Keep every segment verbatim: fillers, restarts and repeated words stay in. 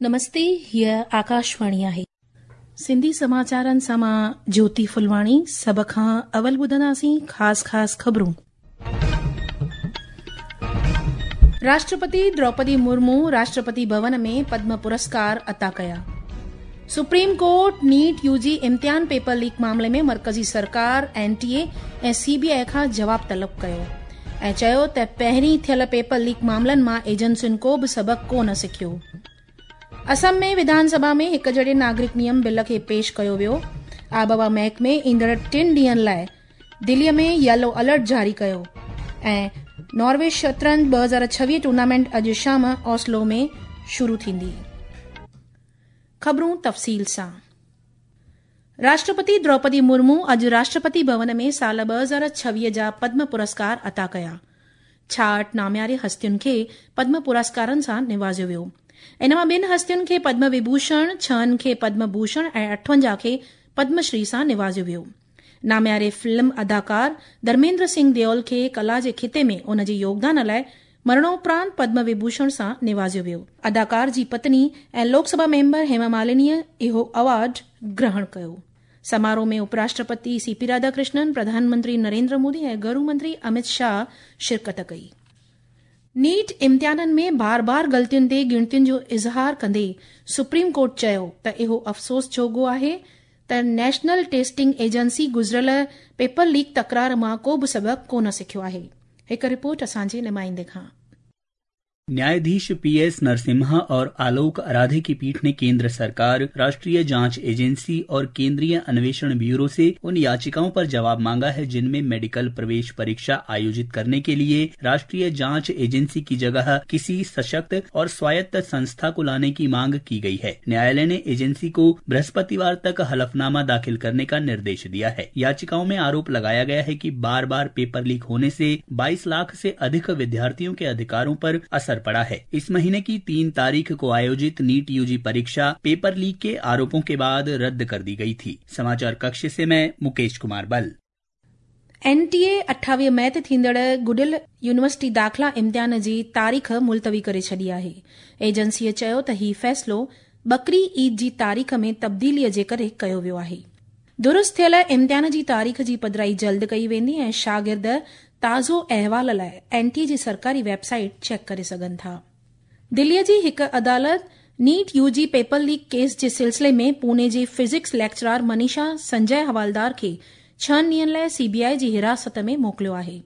नमस्ते, हीअ आकाशवाणी आहे। सिंधी समाचारनि सां मां ज्योति फुलवाणी। सभ खां अवल ॿुधंदासीं ख़ासि ख़ासि ख़बरूं। राष्ट्रपति द्रौपदी मुर्मू राष्ट्रपति भवन में पद्म पुरस्कार अता कया। सुप्रीम कोर्ट नीट यूजी इम्तिहान पेपर लीक मामले में मर्कज़ी सरकार, एनटीए ऐं सीबीआई खां जवाब तलब कयो ऐं चयो त पहिरीं थियल पेपर लीक मामलनि मां एजेंसियुनि को बि सबक़ कोन सिखियो। असम में विधानसभा में हिक जहिड़े नागरिक नियम बिल खे पेश कयो वियो। आबहवा महकमे ईंदड़ टिनि ॾींहंनि लाइ दिल्लीअ में येलो अलर्ट जारी कयो ऐं नॉर्वे शतरंज ॿ हज़ार छवीह टूर्नामेंट अॼु शाम ऑस्लो में शुरू थींदी। ख़बरूं तफ़सील सां। राष्ट्रपति द्रौपदी मुर्मू अॼु राष्ट्रपति भवन में साल ॿ हज़ार छवीह जा पद्म पुरस्कार अता कया। छाहठि नामियारे हस्तियुनि खे पद्म पुरस्कारनि सां निवाज़ियो वियो। इन मां ॿिनि हस्तियुनि खे पद्म विभूषण, छहनि खे पद्म भूषण ऐं अठवंजाह खे पद्मश्री सां निवाज़ियो वियो। नामियारे फिल्म अदाकार धर्मेंद्र सिंह देओल खे कला जे खिते में उन जे योगदान लाइ मरणोपरांत पद्म विभूषण सां निवाज़ियो वियो। अदाकार जी पत्नी ऐं लोकसभा मेंबर हेमा मालिनीअ इहो अवार्ड ग्रहण कयो। समारोह में उपराष्ट्रपति सीपी राधाकृष्णन, प्रधानमंत्री नरेंद्र मोदी ऐं गृह मंत्री अमित शाह शिरकत कई। नीट इम्तिहाननि में बार बार ग़लतियुनि ते गिणतियुनि जो इज़हार कंदे सुप्रीम कोर्ट चयो त इहो अफ़सोस जोॻो आहे त नेशनल टेस्टिंग एजेंसी गुज़िरियल पेपर लीक तकरार मां को बि सबक़ कोन सिखियो आहे। हिकु रिपोर्ट असांजे नुमाइंदे खां। न्यायाधीश पी एस नरसिम्हा और आलोक आराधे की पीठ ने केंद्र सरकार, राष्ट्रीय जांच एजेंसी और केंद्रीय अन्वेषण ब्यूरो से उन याचिकाओं पर जवाब मांगा है जिनमें मेडिकल प्रवेश परीक्षा आयोजित करने के लिए राष्ट्रीय जांच एजेंसी की जगह किसी सशक्त और स्वायत्त संस्था को लाने की मांग की गई है। न्यायालय ने एजेंसी को बृहस्पतिवार तक हलफनामा दाखिल करने का निर्देश दिया है। याचिकाओं में आरोप लगाया गया है कि बार बार पेपर लीक होने से बाईस लाख से अधिक विद्यार्थियों के अधिकारों पर असर पड़ा है। इस महीने की तीन तारीख को आयोजित नीट यूजी परीक्षा पेपर लीक के आरोपों के बाद रद्द कर दी गई थी। समाचार कक्ष से मैं मुकेश कुमार बल। एनटीए अठावीह मई ते थींदड़ गुॾियल यूनिवर्सिटी दाख़िला इम्तिहान जी तारीख़ मुलतवी करे छॾी आहे। एजेंसीअ चयो त हीउ फ़ैसिलो बकरी ईद जी तारीख़ में तब्दीलीअ जे करे कयो वियो आहे। दुरुस्त थियल इम्तिहान जी तारीख़ जी पधराई जल्द कई वेंदी ऐं शागिर्द ताज़ो अहवाल लाइ एनटीए जी सरकारी वेबसाइट चेक करे सघनि था। दिल्लीअ जी हिकु अदालत NEET UG paper leak case जे सिलसिले में पुणे जे फिजिक्स लेक्चरार मनीषा संजय हवालदार खे छहनि ॾींहंनि लाइ सीबीआई जी हिरासत में मोकिलियो आहे।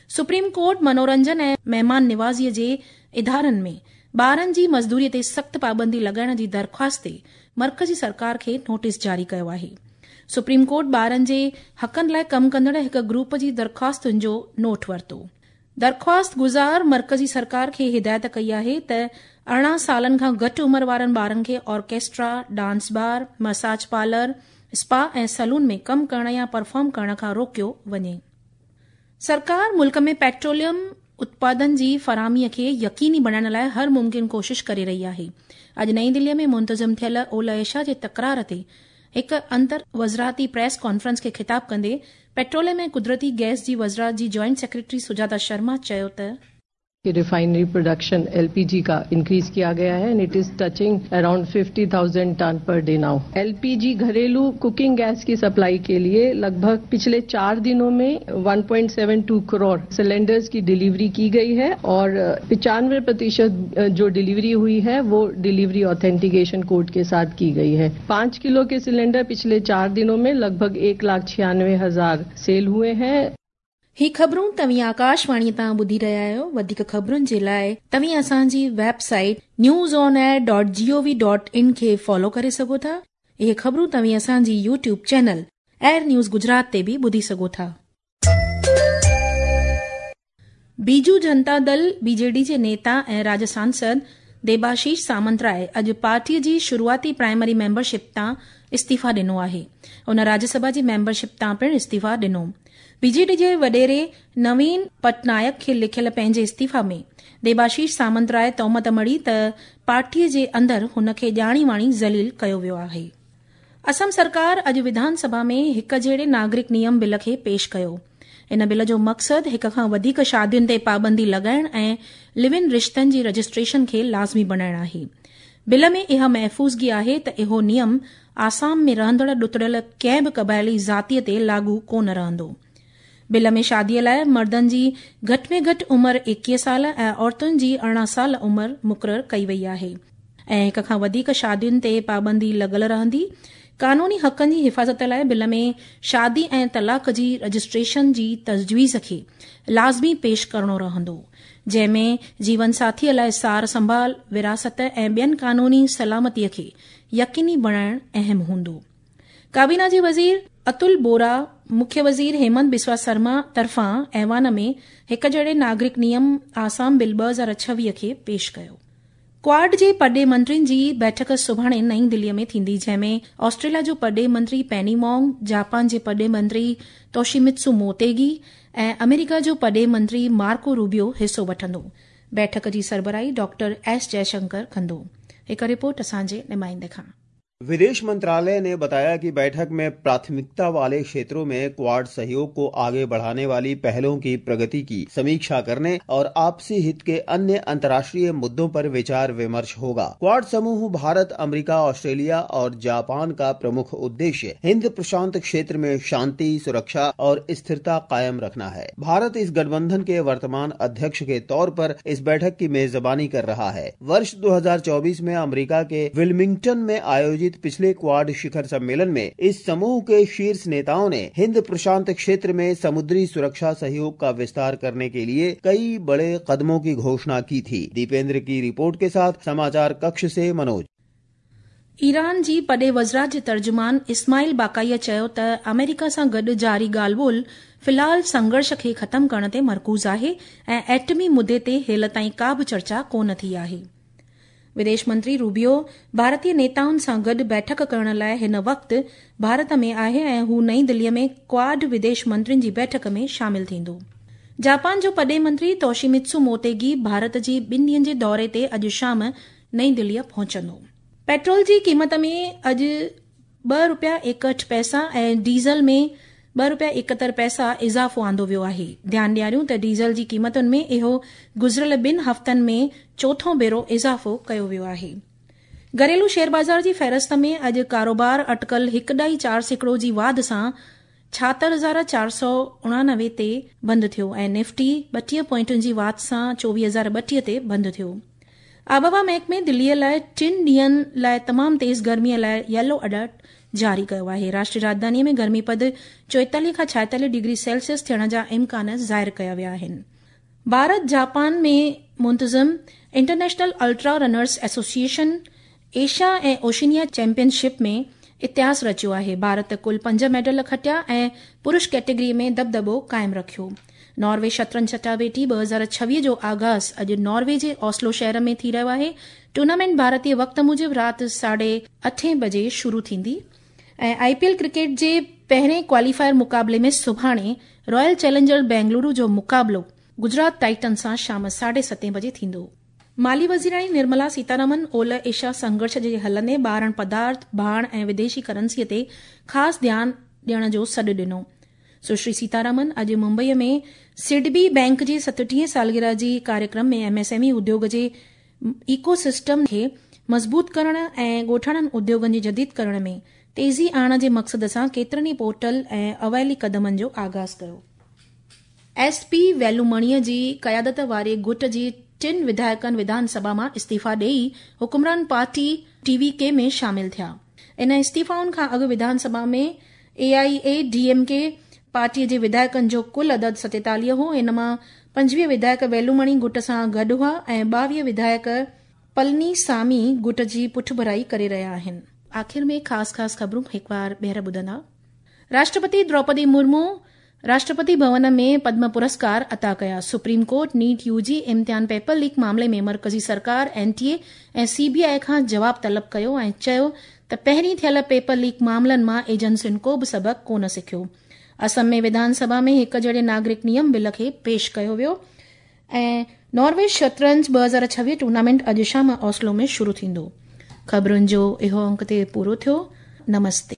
सुप्रीम कोर्ट मनोरंजन ऐं महिमान निवाज़ीअ जे इदारनि में ॿारनि जी मज़दूरीअ ते सख़्तु पाबंदी लॻाइण जी दरख़्वास्त ते मर्कज़ी सरकार खे नोटिस जारी कयो आहे। सुप्रीम कोर्ट ॿारनि जे हक़नि लाइ कमु कंदड़ हिकु ग्रुप जी दरख़्वास्तुनि जो नोट वरितो। दरख़्वास्त गुज़ार मर्कज़ी सरकार खे हिदायत कई आहे त अरिड़हं सालनि खां घटि उमिरि वारनि ॿारनि खे orchestra, dance bar, massage parlour, spa ऐं सलून में कमु करण या परफॉर्म करण खां रोकियो वञे। सरकार मुल्क में पेट्रोलियम उत्पादन जी फराहमीअ खे यकीनी बणाइण लाइ हर मुमकिन कोशिश करे रही आहे। अॼु नई दिल्लीअ में मुंतज़िम थियल ओलह एशिया जे तकरार ते हिकु अंतर वज़ारती प्रेस कॉन्फ्रेंस खे ख़िताब कंदे पेट्रोलियम ऐं कुदरती गैस जी वज़ारत जी जॉइंट सेक्रेटरी सुजाता शर्मा चयो त रिफाइनरी प्रोडक्शन एलपीजी का इंक्रीज किया गया है and it is touching around fifty thousand ton per day now. LPG घरेलू कुकिंग गैस की सप्लाई के लिए लगभग पिछले चार दिनों में one point seven two crore cylinders की डिलीवरी की गई है और पिचानवे प्रतिशत जो डिलीवरी हुई है वो डिलीवरी ऑथेंटिकेशन कोड के साथ की गई है। पांच किलो के सिलेंडर पिछले चार दिनों में लगभग एक लाख छियानवे हजार सेल हुए हैं। ही ख़बरूं तव्हीं आकाशवाणी तां ॿुधी रहिया आहियो। वधीक ख़बरुनि जे लाइ तव्हीं असांजी website news on air dot gov dot in खे फॉलो करे सघो था। इहे ख़बरूं तव्हीं असांजी YouTube channel air news Gujarat ते बि ॿुधी सघो था। बीजू जनता दल बीजेडी जे नेता ऐं राज्य सांसद देबाशीष सामंतराय अॼु पार्टीअ जी शुरूआती प्राइमरी मेंबरशिप तां इस्तीफ़ा ॾिनो आहे। उन राज्यसभा जी मेंबरशिप तां पिणु इस्तीफ़ा ॾिनो। बीजेडी जे वॾेरे नवीन पटनायक खे लिखियल पंहिंजे इस्तीफ़ा में देबाशीष सामंतराय तोहमत मढ़ी त पार्टीअ जे अंदरि हुनखे ॼाणी वाणी ज़लील कयो वियो आहे। असम सरकार अॼु विधानसभा में हिक जहिड़े नागरिक नियम बिल खे पेश कयो। इन बिल जो मक़सदु हिक खां वधीक शादियुनि ते पाबंदी लॻाइण ऐं लिव इन रिश्तनि जी रजिस्ट्रेशन खे लाज़मी बणाइण आहे। बिल में इहा महफ़ूज़गी आहे त इहो नियम आसाम में रहंदड़ ॾुतड़ियल कंहिं बि क़बाइली ज़ातीअ ते लागू कोन रहंदो। बिल में शादीअ लाइ मर्दनि जी घटि में घटि उमिरि एकीह साल ऐं औरतुनि जी अरिड़हं साल उमिरि मुक़ररु कई वई आहे ऐं हिक खां वधीक शादियुनि ते पाबंदी लॻल रहंदी। कानूनी हक़नि जी हिफ़ाज़त लाइ बिल में शादी ऐं तलाक़ जी रजिस्ट्रेशन जी तजवीज़ खे लाज़मी पेश करिणो रहंदो, जंहिंमें जीवन साथीअ लाइ सार संभाल, विरासत ऐं ॿियनि कानूनी सलामतीअ खे यकीनी बणाइण अहम हूंदो। काबीना जे वज़ीर अतुल बोरा मुख्य वज़ीर हेमंत बिस्वा शर्मा तरफ़ां ऐवान में हिक जहिड़े नागरिक नियम आसाम बिल ॿ हज़ार छवीह खे पेश कयो। क्वाड जे परॾेही मंत्रियुनि जी बैठक सुभाणे नई दिल्लीअ में थींदी, जंहिंमें ऑस्ट्रेलिया जो परॾेही मंत्री पेनी वॉन्ग, जापान जे परॾेही मंत्री तोशिमित्सु मोतेगी ऐं अमेरिका जो परॾेही मंत्री मार्को रूबियो हिसो वठंदो। बैठक जी सरबराही डॉक्टर एस जयशंकर कंदो। हिकु रिपोर्ट असांजे नुमाइंदे खां। विदेश मंत्रालय ने बताया कि बैठक में प्राथमिकता वाले क्षेत्रों में क्वाड सहयोग को आगे बढ़ाने वाली पहलों की प्रगति की समीक्षा करने और आपसी हित के अन्य अंतर्राष्ट्रीय मुद्दों पर विचार विमर्श होगा। क्वाड समूह भारत, अमेरिका, ऑस्ट्रेलिया और जापान का प्रमुख उद्देश्य हिंद प्रशांत क्षेत्र में शांति, सुरक्षा और स्थिरता कायम रखना है। भारत इस गठबंधन के वर्तमान अध्यक्ष के तौर पर इस बैठक की मेजबानी कर रहा है। वर्ष दो हजार चौबीस में अमेरिका के विल्मिंगटन में आयोजित पिछले क्वाड शिखर सम्मेलन में इस समूह के शीर्ष नेताओं ने हिंद प्रशांत क्षेत्र में समुद्री सुरक्षा सहयोग का विस्तार करने के लिए कई बड़े कदमों की घोषणा की थी। दीपेंद्र की रिपोर्ट के साथ समाचार कक्ष से मनोज। ईरान जी पॾे वज़रात जे तर्जुमान इस्माइल बाकाईअ चयो त अमेरिका सां गॾु जारी ॻाल्हि ॿोल फ़िलहाल संघर्ष खे ख़तम करण ते मरकूज़ आहे ऐं एटमी मुद्दे ते हेल ताईं का बि चर्चा कोन थी आहे। विदेश मंत्री रूबियो भारतीय नेताउनि सां गॾु बैठक करण लाइ हिन वक़्तु भारत में आहे ऐं हू नई दिल्लीअ में क्वाड विदेश मंत्रियुनि जी बैठक में शामिल थींदो। जापान जो परॾेही मंत्री तोशिमित्सु मोतेगी भारत जी ॿिनि ॾींहंनि जे दौरे ते अॼु शाम नई दिल्लीअ पहुचंदो। पेट्रोल जी क़ीमत में अॼु ॿ रुपया एकहठि पैसा ऐं डीज़ल में ॿ रुपया एकहतरि पैसा इज़ाफ़ो आंदो वियो आहे। ध्यानु ॾियारियूं त डीज़ल जी क़ीमतुनि में इहो गुज़िरियल ॿिनि हफ़्तनि में चोथों भेरो इज़ाफ़ो कयो वियो आहे। घरेलू शेयर बाज़ार जी फ़हरिस्त में अॼु कारोबार अटकल हिकु ॾाई चारि सैकड़ो जी वाध सां छाहतरि हज़ार चारि सौ उणानवे ते बंदि थियो ऐं निफ्टी ॿटीह पॉइंटुनि जी वाध सां चोवीह हज़ार ॿटीह ते बंदि थियो। आबहवा महकमे दिल्लीअ लाइ टिनि ॾींहंनि लाइ तमामु तेज़ गर्मीअ लाइ येलो अलर्ट जारी कयो आहे। राष्ट्रीय राजधानीअ में गर्मी पद चोएतालीह खां छाएतालीह डिग्री सेल्सियस थियण जा इम्कान ज़ाहिर कया विया आहिनि। भारत जापान में मुंतज़िम international ultra runners association Asia ऐं ओशिनिया चैंपियनशिप में इतिहास रचियो आहे। भारत कुल पंज मेडल खटिया ऐं पुरुष कैटेगरी में दबदबो क़ाइमु रखियो। नॉर्वे शतरंज चटाबेटी ॿ हज़ार छवीह जो आगाज़ अॼु नॉर्वे जे ऑस्लो शहर में थी रहियो आहे। टूर्नामेंट भारतीय वक़्त मूजिबि राति साढे अठे बजे शुरू थींदी। ऐं आईपीएल क्रिकेट जे पहिरें क्वालीफायर मुक़ाबले में सुभाणे रॉयल चैलेंजर बेंगलुरु जो मुक़ाबलो गुजरात टाइटन सां शाम साढे सतें बजे थींदो। माली वज़ीराणी निर्मला सीतारमन ओलह एशिया संघर्ष जे हलंदे ॿारण पदार्थ, भाण ऐं विदेशी करेंसीअ ते ख़ासि ध्यानु ॾियण जो सॾु ॾिनो। सुश्री सीतारमन अॼु मुंबईअ में सिडबी बैंक जे सतटीह सालगिरह जी कार्यक्रम में एमएसएमई उद्योग जे इकोसिस्टम खे मज़बूत करण ऐं ॻोठाणनि उद्योगनि जे जदीद करण में तेज़ी आणण जे मक़सद सां केतिरनि ई पोर्टल ऐं अवैली क़दमनि जो आगाज़ कयो। एस पी वेलुमणीअ जी क़यादत वारे गुट जी टिनि विधायकनि विधानसभा मां इस्तीफ़ा ॾेई हुकुमरान पार्टी टीवीके में शामिल थिया। इन इस्तीफ़ाउनि खां अॻु विधानसभा में ए आई ए डी एम के पार्टीअ जे विधायकनि जो कुल अदद सतेतालीह हो। इन मां पंजवीह विधायक वेलुमणी गुट सां गॾु हुआ ऐं ॿावीह विधायक पलनीसामी गुट जी पुठभराई करे रहिया आहिनि। आख़िर में ख़ासि ख़ासि ख़बरूं हिकु बार ॿीहर ॿुधंदा। राष्ट्रपति द्रौपदी मुर्मू राष्ट्रपति भवन में पद्म पुरस्कार अता कया। सुप्रीम कोर्ट नीट यूजी इम्तिहान पेपर लीक मामले में मर्कज़ी सरकार, एनटीए ऐं सीबीआई खां जवाब तलब कयो ऐं चयो त पहिरीं थियल पेपर लीक मामलनि मां एजेंसियुनि को बि सबक़ कोन सिखियो। असम में विधानसभा में हिकु जहिड़े नागरिक नियम बिल खे पेश कयो वियो। ऐं नॉर्वे शतरंज ॿ हज़ार छवीह टूर्नामेंट अॼु शाम ऑस्लो में शुरू थींदो। ख़बरुनि जो इहो अंक ते पूरो थियो। नमस्ते।